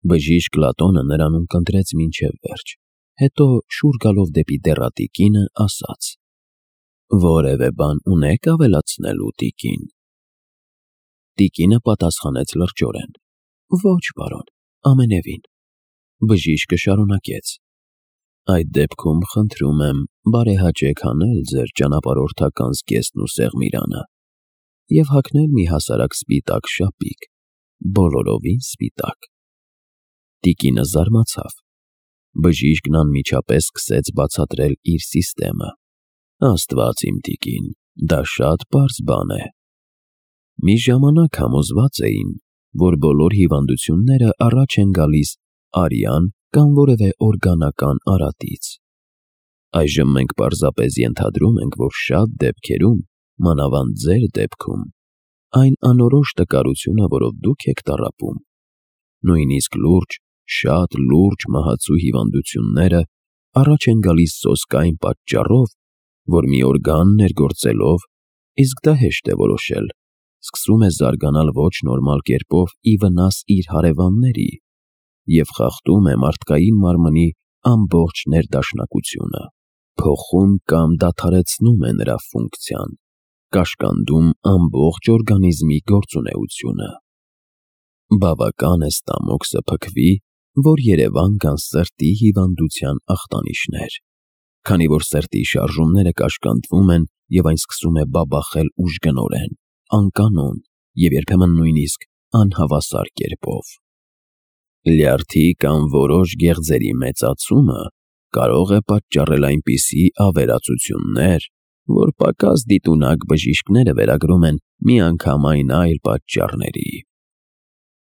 Բժիշկ Լատոնը նրան ունկնդրեց մինչև վերջ, հետո շուռ գալով դեպի դեռատի կինը ասաց. «Որևէ բան ունե՞ք ավելացնելու, տիկին»։ Տիկինը պատասխանեց լրջորեն. «Ոչ, պարոն, ամենևին»։ Բժիշկը շարունակեց. «Այդ դեպքում խնդրում եմ բարեհաճեք հանել ձեր ճանապարհորդական զգեստն ու սեղմիրանը և հագնել մի հասարակ սպիտակ շապիկ, բոլորովին սպիտակ»։ Տիկինը զարմացավ։ Բժիշկն անմիջապես սկսեց բացատրել իր սիստեմը. «Աստված իմ տիկին, դա շատ պարզ բան է։ Մի ժամանակ համոզված էին, որ բոլոր հիվանդությունները առաջ են գալիս արյան կամ որևէ օրգանական արատից։ Այժմ մենք պարզապես ենթադրում ենք, որ շատ դեպքերում, մանավանդ ձեր դեպքում, այն անորոշ տկարությունը, որով դուք եք տառապում, նույնիսկ լուրջ, շատ լուրջ մահացու հիվանդությունները առաջ են գալիս սոսկային պատճառով, որ մի օրգան ներգործելով, իսկ դա հեշտ է որոշել, սկսում է զարգանալ ոչ նորմալ կերպով ի վնաս իր հարևանների և խախտում է մարդկային մարմնի ամբողջ ներդաշնակությունը, փոխում կամ դադարեցնում է նրա ֆունկցիան, կաշկանդում ամբողջ օրգանիզմի գործունեությունը։ Բավական է ստամոքսը փքվի, որ երևան գան սրտի հիվանդության ախտանիշներ, քանի որ սրտի շարժումները կաշկանդվում են և այն սկսում է բաբախել ուժգնորեն, անկանոն և երբեմն նույնիսկ անհավասար կերպով։ Լյարդի կամ որոշ գեղձերի մեծացումը կարող է պատճառել այնպիսի ավերածություններ, որ պակաս դիտունակ բժիշկները վերագրում են միանգամայն այլ պատճառների։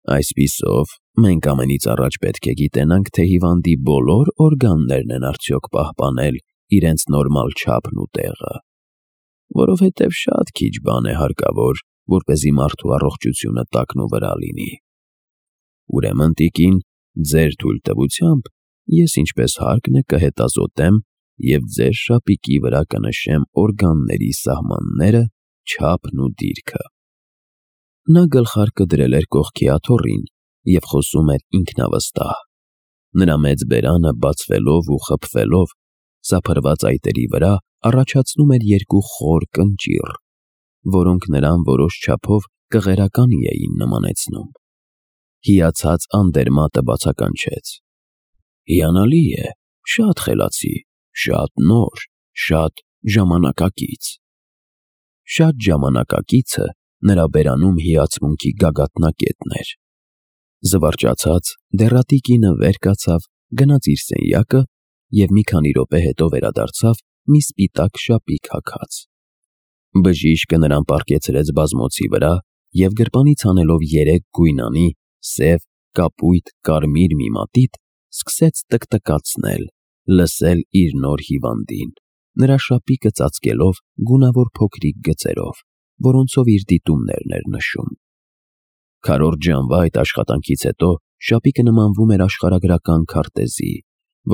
Այսպիսով, մենք ամենից առաջ պետք է գիտենանք, թե հիվանդի բոլոր օրգաններն են արդյոք պահպանել իրենց նորմալ չափն ու տեղը, որովհետև շատ քիչ բան է հարկավոր, որպեսզի մարդու առողջությունը տակնուվրա լինի։ Ուրեմն, տիկին, ձեր թույլտվությամբ ես ինչպես հարկն է կհետազոտեմ և ձեր շապիկի վրա կնշեմ օրգանների սահմանները, չափն ու դիրքը։ Նա գլխարկը դրել էր կողքի աթոռին և խոսում էր ինքնավստահ։ Նրա մեծ բերանը բացվելով ու խփվելով, սափրված այտերի վրա առաջացնում էր երկու խոր կնճիռ, որոնք նրան որոշ չափով կղերականի էին նմանեցնում։ Հիացած անդերմատը բացականչեց. «Հիանալի է, շատ խելացի, շատ նոր, շատ ժամանակակից»։ «Շատ ժամանակակիցը» նրա բերանում հիացմունքի գագաթնակետն էր։ Զվարճացած, դեռատի կինը վեր կացավ, գնաց իր սենյակը և մի քանի րոպե հետո վերադարձավ մի սպիտակ շապիկ հագած։ Բժիշկը նրան պառկեցրեց բազմոցի վրա և գրպանից հանելով 3 գույնանի, սև, կապույտ, կարմիր մի մատիտ, սկսեց տկտկացնել, լսել իր նոր հիվանդին, նրա շապիկը ծածկելով գունավոր փոքրիկ գծերով, որոնցով իր դիտումներն էր նշում։ Քառորդ ժամվա այդ աշխատանքից հետո շապիկը նմանվում էր աշխարհագրական քարտեզի,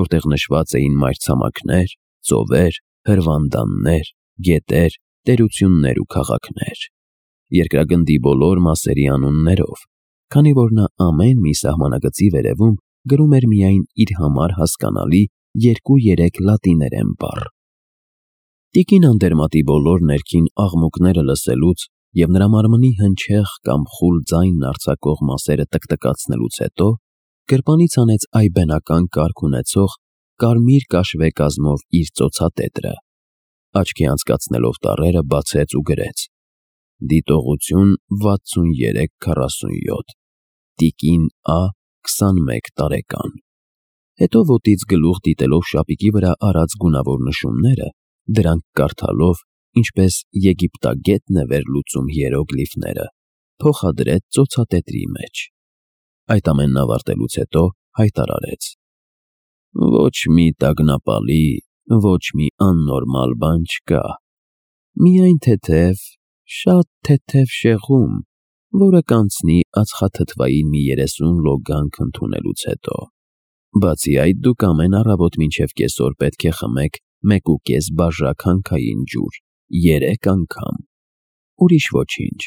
որտեղ նշված էին մայրցամաքներ, ծովեր, հրվանդաններ, գետեր, տերություններ ու քաղաքներ, երկրագնդի բոլոր մասերի անուններով, քանի որ նա ամեն մի սահմանագծի վերևում գրում էր միայն իր համար հասկանալի 2-3 լատիներեն բառ։ Տիկին Անդերմատի բոլոր ներքին աղմուկները լսելուց և նրա մարմնի հնչեղ կամ խուլ ձայնն արձակող մասերը տկտկացնելուց հետո գրպանից հանեց այբենական կարգ ունեցող կարմիր կաշվե կազմով իր ծոցատետրը, աչքի անցկացնելով տառերը բացեց ու գրեց. «Դիտողություն 6347, տիկին Ա, 21 տարեկան»։ Հետո ոտից գլուխ դիտելով շապիկի վրա արած գունավոր նշումները, դրանք կարդալով, ինչպես եգիպտագետն է վերլուծում հիերոգլիֆները, փոխադրեց ծոցատետրի մեջ։ Այդ ամենն ավարտելուց հետո հայտարարեց. «Ոչ մի տագնապալի, ոչ մի աննորմալ բան չկա, միայն թեթև, շատ թեթև շեղում, որը կանցնի ածխաթթվային մի 30 լոգանք ընդունելուց հետո։ Բացի այդ, դուք ամեն առավոտ մինչև կեսօր պետք է խմեք 1.5 բաժակ հանքային ջուր 3 անգամ։ Ուրիշ ոչինչ։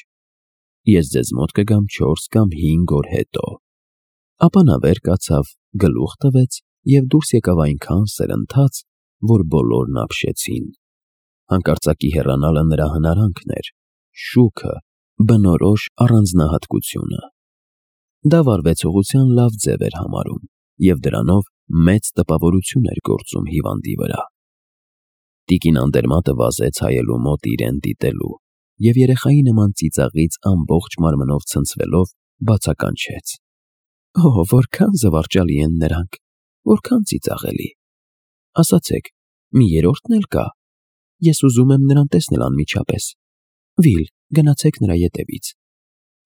Ես ձեզ մոտ կգամ 4 կամ 5 օր հետո»։ Ապա նա վեր կացավ, գլուխ տվեց և դուրս եկավ այնքան սրընթաց, որ բոլորն ապշեցին։ Հանկարծակի հեռանալը նրա հնարանքն էր, շուքը, բնորոշ առանձնահատկությունը։ Դա վարվեցողության լավ ձև էր համարում և դրանով մեծ տպավորություն էր գործում հիվանդի վրա։ Տիկին Անդերմատը վազեց հայելու մոտ իրեն դիտելու և երեխայի նման ծիծաղից ամբողջ մարմնով ցնցվելով բացականչեց. «Օ, որքան զվարճալի են նրանք, որքան ծիծաղելի։ Ասացեք, մի երրորդն էլ կա։ Ես ուզում եմ նրան տեսնել անմիջապես։ Վիլ, գնացեք նրա ետևից։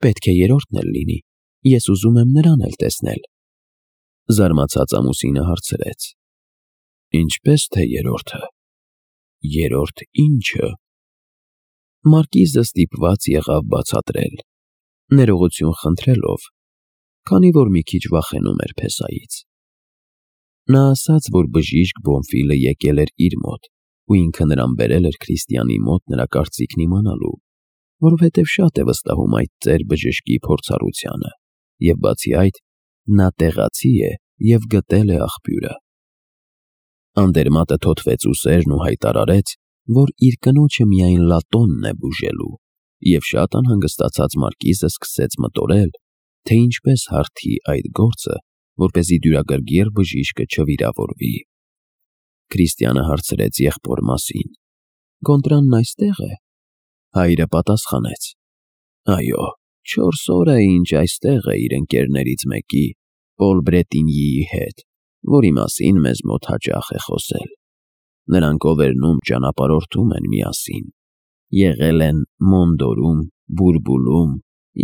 Պետք է երրորդն էլ լինի, ես ուզում եմ նրան էլ տեսնել»։ Զարմացած ամուսինը հարցրեց. «Ինչպես թե երրորդը։ Երրորդ ի՞նչը»։ Մարկիզը ստիպված եղավ բացատրել, ներողություն խնդրելով, քանի որ մի քիչ վախենում էր փեսայից։ Նա ասաց, որ բժիշկ Բոնֆիլը եկել էր իր մոտ ու ինքը նրան բերել էր Քրիստիանի մոտ նրա կարծիքն իմանալու, որովհետև շատ է վստահում այդ ծեր բժշկի փորձառությանը, և բացի այդ, նա տեղացի է և գտել է աղբյուրը։ Անդերմատը թոթվեց ուսերն ու հայտարարեց, որ իր կնոջը միայն լատոնն է բուժելու, և շատ անհանգստացած մարկիզը սկսեց մտորել, թե ինչպես հարթի այդ գործը, որպեսզի դյուրագրգիռ բժիշկը չվիրավորվի։ Քրիստիանը հարցրեց եղբոր մասին. «Գոնդրանն այստե՞ղ է»։ Հայրը պատասխանեց. «Այո, 4 օր է, ինչ այստեղ է իր ընկերներից մեկի, Պոլ Բրետինյիի հետ, որի մասին մեզ մոտ հաճախ է խոսել։ Նրանք Օվերնում ճանապարհորդում են միասին, եղել են Մոնդորում, Բուրբուլում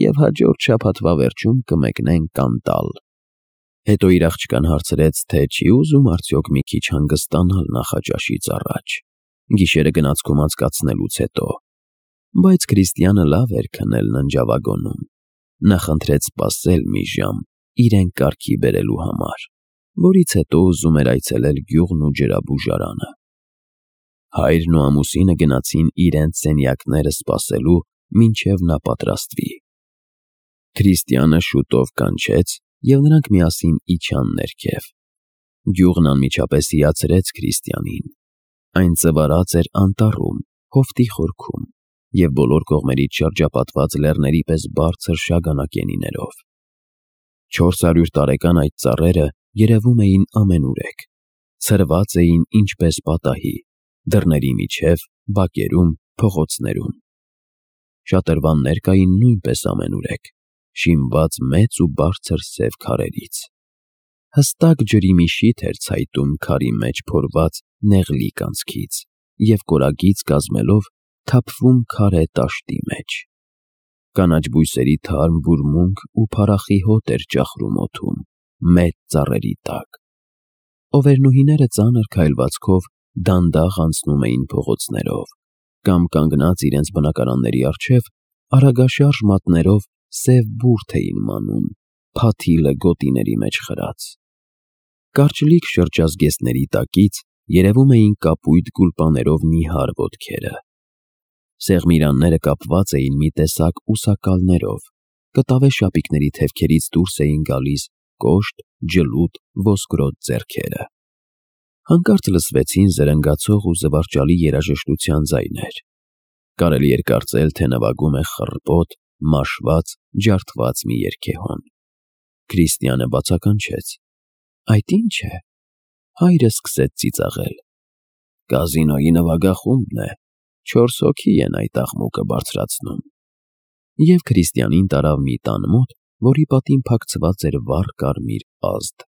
և հաջորդ շաբաթվա վերջում կմեկնեն Կանտալ»։ Հետո իր աղջկան հարցրեց, թե չի ուզում արդյոք մի քիչ հանգստանալ նախաճաշից առաջ, գիշերը գնացքում անցկացնելուց հետո, բայց Քրիստիանը լավ էր քնել ննջավագոնում։ Նա խնդրեց սպասել մի ժամ իրեն կարգի բերելու համար, որից հետո ուզում էր այցելել գյուղն ու ջրաբուժարանը։ Հայրն ու ամուսինը գնացին իրենց սենյակները սպասելու, մինչև նա պատրաստվի։ Քրիստիանը շուտով կանչեց, և նրանք միասին իջան ներքև։ Գյուղն անմիջապես հիացրեց Քրիստիանին։ Այն ծվարած էր անտառում, հովտի խորքում և բոլոր կողմերից շրջապատված լեռների պես բարձր շագանակենիներով։ 400 տարեկան այդ ծառերը երևում էին ամենուրեք, ցրված էին ինչպես պատահի, դռների միջև, բակերում, փողոցներում։ Շատրվաններ կային նույնպես ամենուրեք, շինված մեծ ու բարձր սև քարերից։ Հստակ ջրի մի շիթ էր ցայտում քարի մեջ փորված նեղլիկ անցքից և կորագից կազմելով թափվում քարե տաշտի մեջ։ Կանաչ բույսերի թարմ բուրմունք ու փառախի հոտ էր ճախրում օդում, մեծ ծառերի տակ։ Օվերնուհիները ծանր քայլվածքով դանդաղ անցնում էին փողոցներով կամ կանգնած իրենց բնակարանների առջև արագաշարժ մատներով սև բուրդ էին մանում, փաթիլը գոտիների մեջ խրած։ Կարճլիկ շրջազգեստների տակից երևում էին կապույտ գուլպաներով նիհար ոտքերը։ Սեղմիրանները կապված էին մի տեսակ ուսակալներով, կտավե շապիկների թևքերից դուրս էին գալիս կոշտ, ջլուտ, ոսկրոտ ձեռքերը։ Հանկարծ լսվեցին զրնգացող ու զվարճալի երաժշտության ձայներ։ Կարելի էր կարծել, թե նվագում է խռպոտ, մաշված, ջարդված մի երգեհոն։ Քրիստիանը բացականչեց. «Այդ ի՞նչ է»։ Հայրը սկսեց ծիծաղել. «Կազինոյի նվագախումբն է, 4 հոգի են այդ աղմուկը բարձրացնում»։ Եվ Քրիստիանին տարավ մի տան մոտ, որի պատին փակցված էր վառ կարմիր ազդ։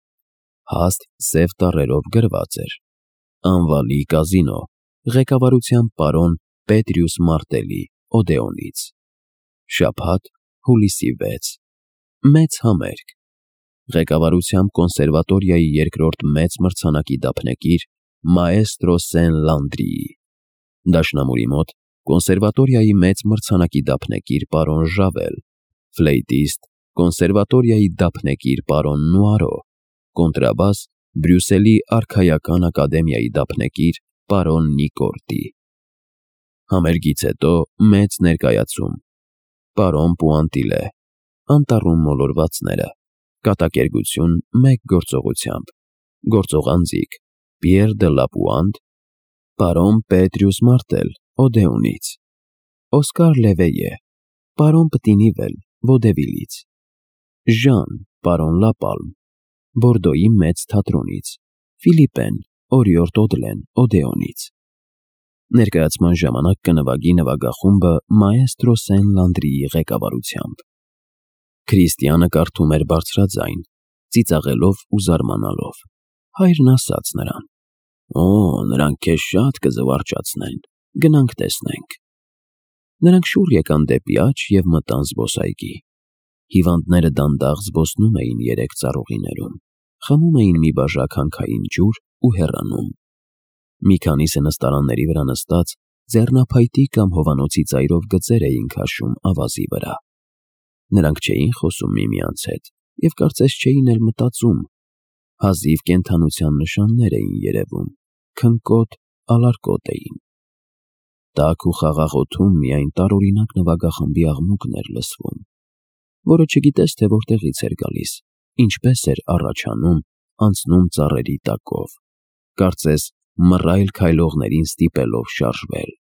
Հաստ սև տառերով գրված էր. «Անվալի կազինո, ղեկավարությամբ պարոն Պետրիուս Մարտելի, Օդեոնից։ Շաբաթ, հուլիսի 6։ Մեծ համերգ։ Ղեկավարությամբ կոնսերվատորիայի երկրորդ մեծ մրցանակի դափնեկիր մաեստրո Սեն Լանդրիի։ Դաշնամուրի մոտ կոնսերվատորիայի մեծ մրցանակի դափնեկիր պարոն Ժավել, ֆլեյտիստ, կոնսերվատորիայի դափնեկիր պարոն Նուարո, կոնտրաբաս, Բրյուսելի արքայական ակադեմիայի դափնեկիր պարոն Նիկորտի։ Համերգից հետո մեծ ներկայացում։ Պարոն Պուանտիլե, անտառում մոլորվածները, Կատակերգություն մեկ գործողությամբ։ Գործողանձիկ՝ Պիեր դը Լապուանդ, պարոն Պետրիուս Մարտել, Օդեոնից, Օսկար Լևեյե, պարոն Պտինիվել, Վոդևիլից, Ժան, պարոն Լապալմ, Բորդոյի մեծ թատրոնից, Ֆիլիպեն, Օրիորդ Օդլեն, Օդեոնից։ Ներկայացման ժամանակ կնվագի նվագախումբը մաեստրո Սեն Լանդրիի ղեկավարությամբ։ Քրիստիանը կարդում էր բարձրաձայն, ծիծաղելով ու զարմանալով։ Հայրն ասաց նրան. «Օ, նրանք քեզ շատ կզվարճացնեն, գնանք տեսնենք»։ Նրանք շուռ եկան դեպի աջ և մտան զբոսայգի։ Հիվանդները դանդաղ զբոսնում էին երեք ծառուղիներում, խմում էին մի բաժակ հանքային ջուր ու հեռանում։ Մի քանիսը նստարանների վրա նստած ձեռնափայտի կամ հովանոցի ծայրով գծեր էին քաշում ավազի վրա։ Նրանք չէին խոսում միմյանց հետ և կարծես չէին էլ մտածում։ Հազիվ կենդանության նշաններ էին երևում, քնկոտ, ալարկոտ էին։ Տաք ու խաղաղ օդում միայն տարօրինակ նվագախմբի աղմուկն էր լսվում, որը չգիտես թե որտեղից էր գալիս, ինչպես էր առաջանում, անցնում ծառերի տակով, կարծես մռայլ քայլողներին ստիպելով շարժվել։